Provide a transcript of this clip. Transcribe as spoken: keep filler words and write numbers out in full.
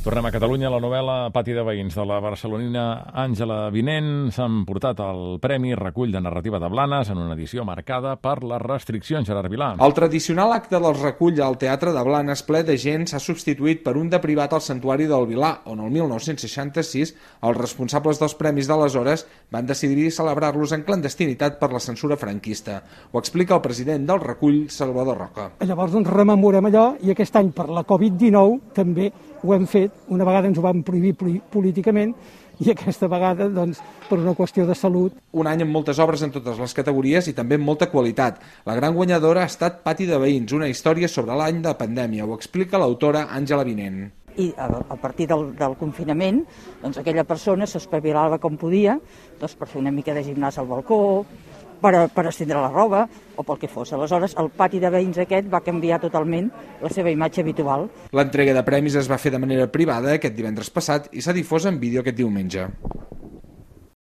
Tornem a Catalunya. La novel·la Pati de veïns de la barcelonina Àngela Vinent s'ha emportat el Premi Recull de Narrativa de Blanes en una edició marcada per les restriccions. Gerard Vilà. El tradicional acte del recull al Teatre de Blanes ple de gent s'ha substituït per un de privat al Santuari del Vilà, on el mil nou-cents seixanta-sis els responsables dels premis d'aleshores van decidir celebrar-los en clandestinitat per la censura franquista. Ho explica el president del recull, Salvador Roca. Llavors doncs, rememorem allò i aquest any per la covid dinou també ho hem fet. Una vegada ens ho van prohibir políticament i aquesta vegada doncs, per una qüestió de salut. Un any amb moltes obres en totes les categories i també amb molta qualitat. La gran guanyadora ha estat Pati de veïns, una història sobre l'any de pandèmia. Ho explica l'autora Àngela Vinent. I a, a partir del, del confinament, doncs, aquella persona s'espavilava com podia doncs, per fer una mica de gimnàs al balcó, per, per estendre la roba o pel que fos. Aleshores, el pati de veïns aquest va canviar totalment la seva imatge habitual. L'entrega de premis es va fer de manera privada aquest divendres passat i s'ha difós en vídeo aquest diumenge.